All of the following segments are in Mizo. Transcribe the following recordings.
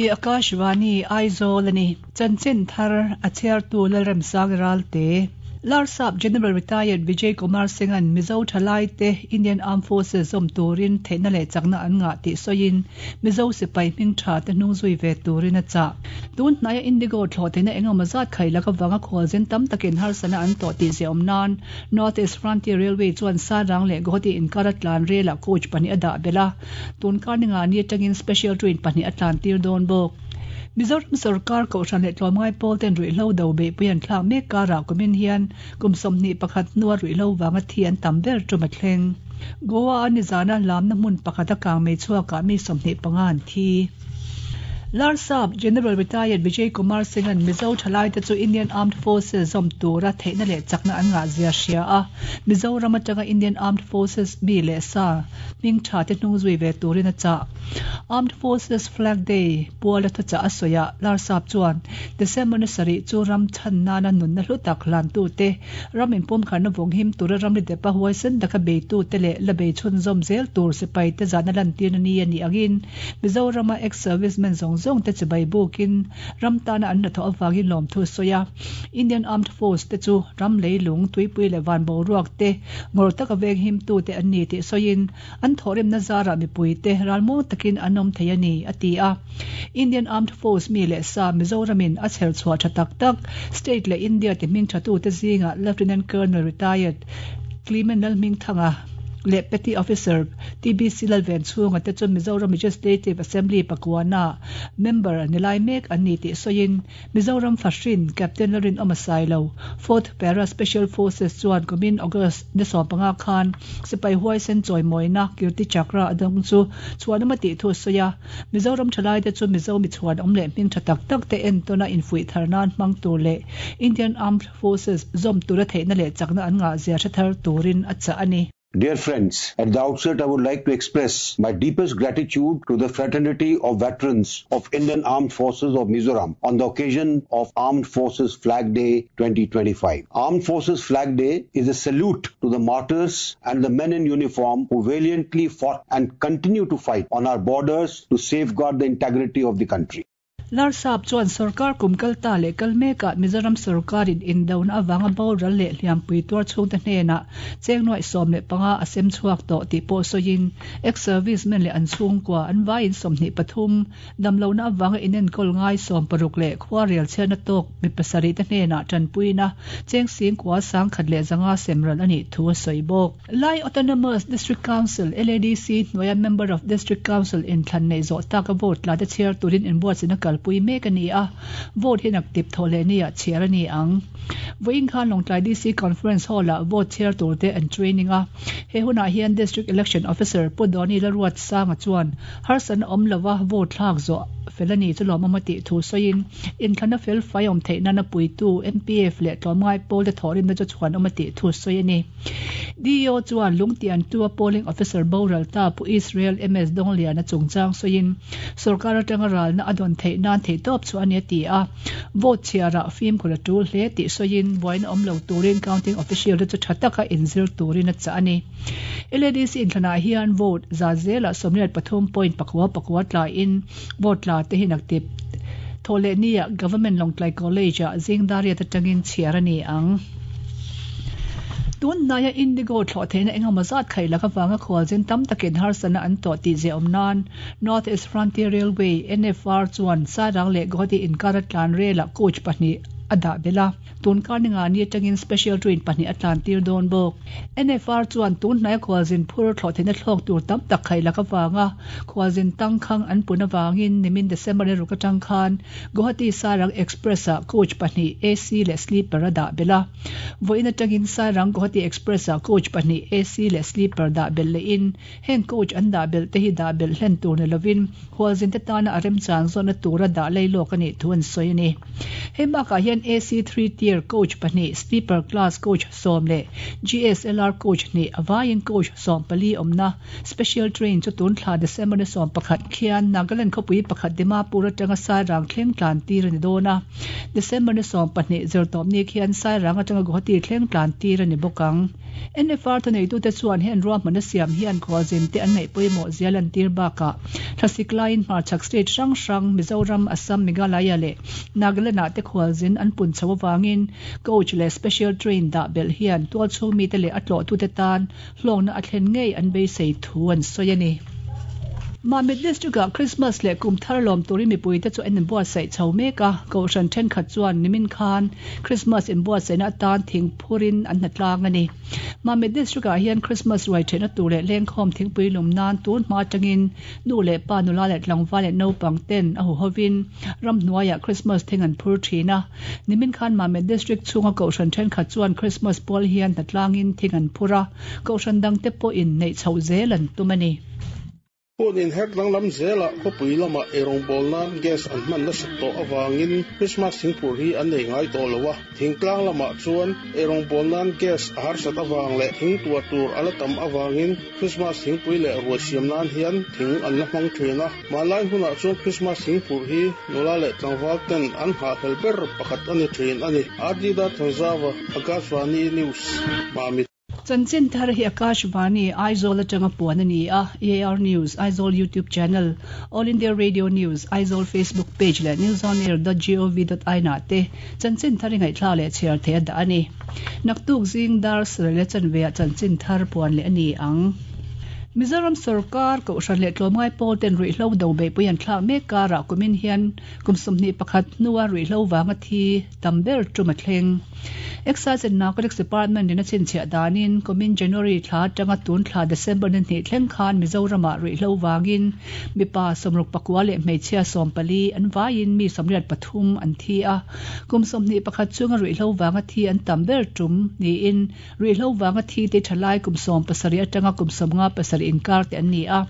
Akashvani Aizawl a ni. Chanchin thar a chhiartu Lalremsang Ralte. Larsap General Retired Vijay Kumar Singh-a'n Mizo thalaite Indian Armed Forces zawm turin theihna leh chakna an ngah tih sawiin Mizo sipai hming tha te hnung zui ve turin a chah. Tun hnaia Indigo thlawh theihna engemaw zat khai lak avanga khualzin tam takin harsatna an tawh tih ziah awm nan North East Frontier Railway chuan Sarang leh Guwahati inkar a tlan relah coach pahnih a dah belh a, tun kar ninga ni atangin special train pahnih a tlan tir dawn bawk. Mizoram sorkar Kohhran leh Tlawmngai pawl ten ruihhlo do beihpui an thlak mek karah kumin hian kum 21 hnua ruihhlo vanga thi an tam ber tum a thleng. Goa a nizana lamna hmun pakhat a kang mei chhuakah mi 25 an thi. Larsap General Retired Vijay Kumar Singh-a'n Mizo thalaite chu Indian Armed Forces zawm tura theihna leh chakna an ngahzia hria a, Mizoram atanga Indian Armed Forces mi leh sa hming tha te hnung zui ve turin a chah. Armed Forces Flag Day puala thuchah a sawiah Larsap chuan December ni sarih chu ram chhan nana nunna hlu tak hlantute, ram inpumkharna vawnghim tura ramri depa huaisen taka beitute leh la bei chhunzawm zel tur sipaite zahna lantirna ni a nih angin Mizorama ex-servicemen zawng zawng te chibai bukin ram tana an hnathawh avangin lawmthu a sawi a. Indian Armed Force te chu ram leilung, tuipui leh van boruak te ngawr taka venghimtu te an ni tih sawiin an thawhrimna zarah mipui te ralmuang takin an awm thei a ni, a ti a. Indian Armed Force mi leh sa Mizoramin a chher chhuah tha tak tak state leh India ti hming thatute zingah Lieutenant Colonel Retired Clement Lalhmingthanga leh Petty Officer TBC Lalvenchhunga te chu Mizoram Legislative Assembly pakuana member ni lai mek an ni tih sawiin Mizoram Fahrin Captain Lalrinawma Sailo, Fourth Para Special Forces chuan kumin August ni 15 khan sipai huaisen chawimawina Kirti Chakra a dawng chu chhuanawm a tih thu a sawi a. Mizoram thalaite chu Mizo mi chhuanawm leh hming tha tak tak te entawna infuih thar nan hmang tur leh Indian Armed Forces zawm tura theihna leh chakna an ngah zia hre thar turin a chah a ni. Dear friends, at the outset I would like to express my deepest gratitude to the fraternity of veterans of Indian Armed Forces of Mizoram on the occasion of Armed Forces Flag Day 2025. Armed Forces Flag Day is a salute to the martyrs and the men in uniform who valiantly fought and continue to fight on our borders to safeguard the integrity of the country. Larsap chuan sorkar kum kal ta leh kal mekah Mizoram sorkarin indona avanga boral leh hliampui tuar chhungte hnenah cheng nuaih 15 a sem chhuak tawh tih pawh sawiin ex-servicemen leh an chhungkua an vaiin 23, damlohna avanga inenkawl ngai 60 leh khua rel chhiatna tawk mi pasarih te hnenah tanpuina cheng singkua 1100 sem ral a nih thu a sawi bawk. Lai Autonomous District Council, LADC, hnuaia Member of District Council inthlan neih zawh taka vote la te chhiar turin inbuatsaihna kalpui mek a ni a, vote hi naktip thawh leh niah chhiar a ni ang. Vawiin khan Lawngtlai DC Conference Hall-ah vote chhiar turte an training a, he hunah hian District Election Officer Pu Dawni Laruatsanga chuan harsatna awm lova vote thlak zawh fel a ni chu lawmawm a tih thu sawiin inthlana fel fai awm theih nana puitu MPF leh tlawmngai pawlte thawhrimna chu chhuanawm a tih thu sawi a ni. DEO chuan Lungtian tua polling officer boral ta Pu Israel MS Dongliana chungchang sawiin sorkar atanga ralna a dawn theih nan theihtawp chu a ni a ti a. Vote chhiarah fimkhur a tul hle tih sawiin buaina awm lo turin counting official te chu tha taka inzir turin a chah a ni. LADC inthlanah hian vote za zelah 83.4 pakua tlaiin vote tla te hi naktip thawhlehniah Government Lawngtlai College-ah zing dariat atangin chhiar a ni ang. Tun hnaia Indigo thlawh theihna engemaw zat khaih lak avanga khualzin tam takin harsatna an tawh tih ziah awm nan North East Frontier Railway, NFR, chuan Sairang leh Guwahati inkara tlan relah coach pahnih a dah belh a. Tun kar ni nga ni atangin special train pahnih a tlan tir dawn bawk. NFR chuan tun hnaia khualzin phur thlawh theihna thlawk tur tam tak khaih lak avanga khualzin tangkhang an pun avangin nimin December ni ruk atang khan Guwahati Sairang Express ah coach pahnih AC leh sleeper a dah belh a. Vawiin atangin Sairang Guwahati Express ah coach pahnih AC leh sleeper dah belh lehin Heng coach an dah belh te hi dah belh hlen tur ni lovin khualzin te tana a remchang zawnna tura dah lei lawk a nih thu an sawi a ni. Hei bakah hian AC three tier coach pahnih, sleeper class coach sawm leh GSLR coach hnih a vaiin coach 14 awmna special train chu tun thla December ni 11 khian Nagaland khawpui pakhat Dimapur atanga Sairang thleng tlan tir a ni dawn a. December ni 12 zirtawpni khian Sairang atanga Guwahati thleng tlan tir a ni bawk ang. NFR thuneitute chuan heng ruahmanna siam hian khualzinte an ngaih pawimawh zia lantir bakah thlasik laiin hmarchhak state hrang hrang Mizoram, Assam, Meghalaya leh Nagaland-ah te khualzin an pun chho avangin coach leh special train dah belh hian tualchhung mite leh a tlawhtute tan hlawkna a thlen ngei an beisei thu an sawi a ni. Mamit District-ah Christmas leh kum thar lawm turin mipuite chu an inbuatsaih chho mek a, Kohhran thenkhat chuan nimin khan Christmas inbuatsaihna atan thing phurin an hnatlang a ni. Mamit District-ah hian Christmas ruai thenna tur leh lengkhawm thingpui lum nan tun hma atangin nu leh pa, nula leh tlangval leh naupang ten a huhovin ramhnuaiah Christmas thing an phur thin a. Nimin khan Mamit District chhunga Kohhran thenkhat chuan Christmas pual hian hnatlangin thing an phur a, Kohhran dangte pawhin neih chhoh zel an tum a ni. Hun inher danglam zelah khawpui lamah eirawngbawl nan gas an hman nasat tawh avangin Krismas thingphur hi an nei ngai tawh lo a. Thingtlang lamah chuan eirawngbawl nan gas a harsat avang leh thing tuah tur a la tam avangin Krismas thingpui leh ruai siam nan hian thing an la hmang thin a. Hmanlai hunah chuan Krismas thingphur hi nula leh tlangval ten an nghahhlel ber pakhat a ni thin a ni. RD Darthanzava, Akashvani News, Mamit. Chanchin thar hi Akashvani, Aizawl atanga puan a ni a, AR News, Aizawl YouTube channel, All India Radio News, Aizawl Facebook page leh newsonair dot gov dot in ah te chanchin thar i ngaihthlak leh chhiar theih a dah a ni. Naktuk zing dar sarih leh chanve ah chanchin thar puan leh a ni ang. Mizoram sorkar, Kohhran leh Tlawmngai pawl ten ruihhlo do beihpui an thlak mek karah kumin hian kum 21 hnua ruihhlo vanga thi tam ber tum a thleng. Excise and Narcotics Department in a chhinchhiah danin kumin January thla atanga tun thla December ni hnih thleng khan Mizoramah ruihhlo vangin mipa 64 leh hmeichhia 14 an vaiin mi 83 an thi a. Kum 21 chunga ruihhlo vanga thi an tam ber tum niin ruihhlo vanga thi te thalai kum 17 atanga kum 57 inkar te an ni a.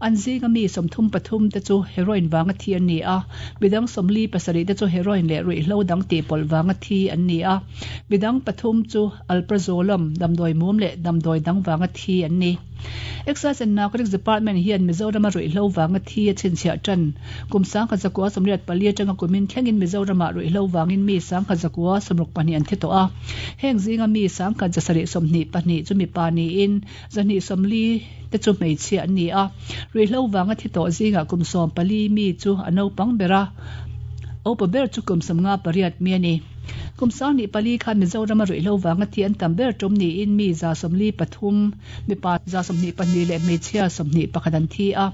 An zinga mi 33 te chu heroin vanga thi an ni a. Midang 47 te chu heroin leh ruihhlo dang tihpawlh vanga thi an ni a. Midang pathum chu alprazolam, damdawi mum leh damdawi dang vanga thi an ni. Excise and Narcotics Department hian Mizorama ruihhlo vanga thi a chhinchhiah tan. Kum 1984 atanga kumin thlengin Mizoramah ruihhlo vangin mi 1962 an thi tawh a. Heng zinga mi 1722 chu mipa niin 240 te chu hmeichhia an ni a. Ruihhlo vanga thi tawh zingah kum 14 mi chu a naupang ber a, upa ber chu kum 58 mi a ni. Kum 24 khan Mizorama ruihhlo vanga thi an tam ber tum niin mi 143, mipa 22 leh hmeichhia 21 an thi a.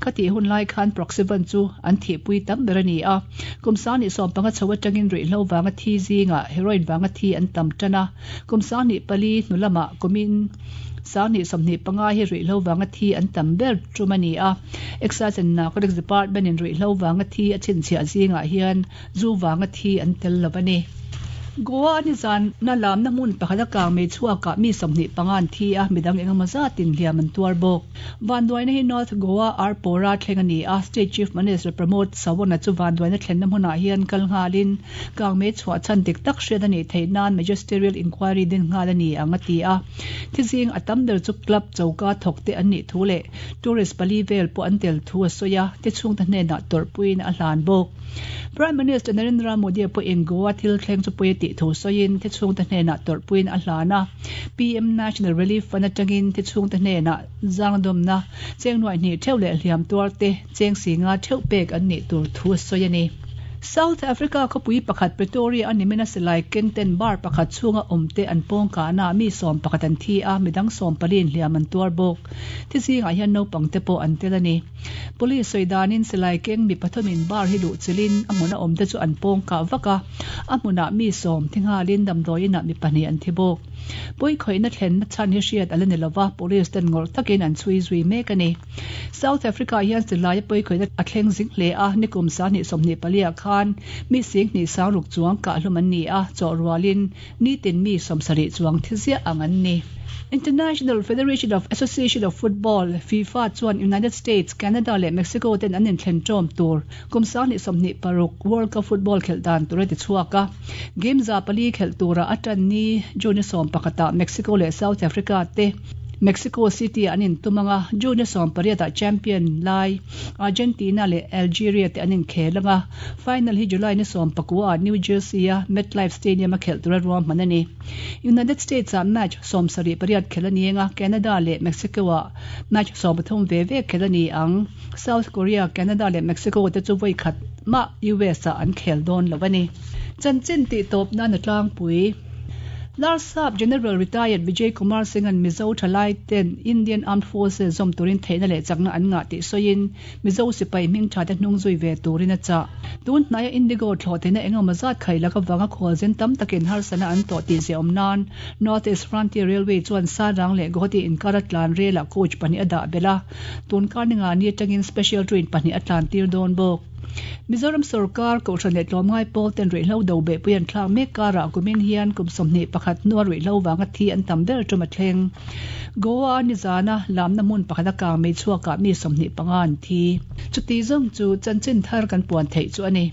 Khatih hun lai khan Proxyvan chu an thihpui tam ber a ni a. Kum 15 chho atangin ruihhlo vanga thi zingah heroin vanga thi an tam tan a. Kum 24 hnu lamah kumin 2025 hi ruihhlo vanga thi an tam ber tum a ni a. Excise and Narcotics Department in ruihhlo vanga thi a chhinchhiah zingah hian zu vanga thi an tel lo a ni. Goa nizan na lamna hmun pakhat a kang mei chhuakah mi 25 an thi a, midang engemaw zatin hliam an tuar bawk. Vanduaina hi North Goa Arpora thleng a ni a, State Chief Minister Pramod Sawant-a chu vanduaina thlenna hmunah hian kal nghalin kang mei chhuah chhan dik tak hriat a nih theih nan Magisterial Inquiry din nghal a ni ang a ti a. Thizing a tam ber chu club choka thawkte an nih thu leh tourist pali vel pawh an tel thu a sawi a, ti chhungte hnenah tawrhpuiin a hlan bawk. Prime Minister Narendra Modi pawhin Goa thil thleng chu pawi a tih thu sawiin thi chhungte hnenah tawrhpuiin a hlan a. PM National Relief Fund atangin thi chhungte hnenah zangdawmna cheng nuaih hnih theuh leh hliam tuar te cheng si nga theuh pek an nih tur thu a sawi a ni. South Africa khawpui pakhat Pretoria a nimina silai keng ten bar pakhat chhunga awm te an pawng kahna ah mi 11 an thi a, midang 14 in hliam an tuar bawk. Thi zingah hian naupang te pawh an tel a ni. Police sawi danin silai keng mi pathumin bar hi luh chilhin a hmuna awmte chu an pawng kah vak a, a hmunah mi sawm thi nghalin damdawi inah mi pahnih an thi bawk. Pawikhawihna thlenna chhan hi hriat a la ni lova, police ten ngawrh takin an chhui zui mek a ni. South Africa hian silaia pawikhawihna a thleng zing hle a, nikum 2024 ah khan mi 26,000 chuang kahhlum an ni a, chawhrualin nitin mi 70 chuang thi ziah ang an ni. International Federation of Association of Football, FIFA, chuan United States, Canada leh Mexico ten an inthlen ṭawm tur kum 2026 World Cup football khelh dan tur a ti chhuak a. Game 400 khelh tura a ṭan ni June 11 ah Mexico leh South Africa te. Mexico City-ah an intum ang a, June ni sawmpariatah champion lai Argentina leh Algeria te an inkhel ang a, final hi July ni sawmpakuaah New Jersey-a MetLife Stadium-a khelh tura ruahman a ni. United States-ah match 78 khelh a ni ang a, Canada leh Mexico-ah match 13 ve ve khelh a ni ang. South Korea, Canada leh Mexico te chu vawi khat mah US-ah an khel dawn lo a ni. Chanchin tih tawp nan a tlangpui. Larsap General Retired Vijay Kumar Singh-a'n Mizo thalai ten Indian Armed Forces zawm turin theihna leh chakna an ngah tih sawiin Mizo sipai hming tha te hnung zui ve turin a chah. Tun hnaia Indigo thlawh theihna engemaw zat khai lak avanga khualzin tam takin harsatna an tawh tih ziah awm nan North East Frontier Railway chuan Sarang leh Guwahati inkara tlan relah coach pahnih a dah belh a, tun kar ninga ni atangin special train pahnih a tlan tir dawn bawk. Mizoram sorkar, Kohhran leh Tlawmngai pawl ten ruihhlo do behpui an thlak mek karah kumin hian kum 21 hnua ruihhlo vanga thi an tam ber tum a thleng. Goa-a nizana lamna hmun pakhat a kang mei chhuakah mi 25 an thi. Chuti zawng chu chanchin thar kan puan theih chu a ni.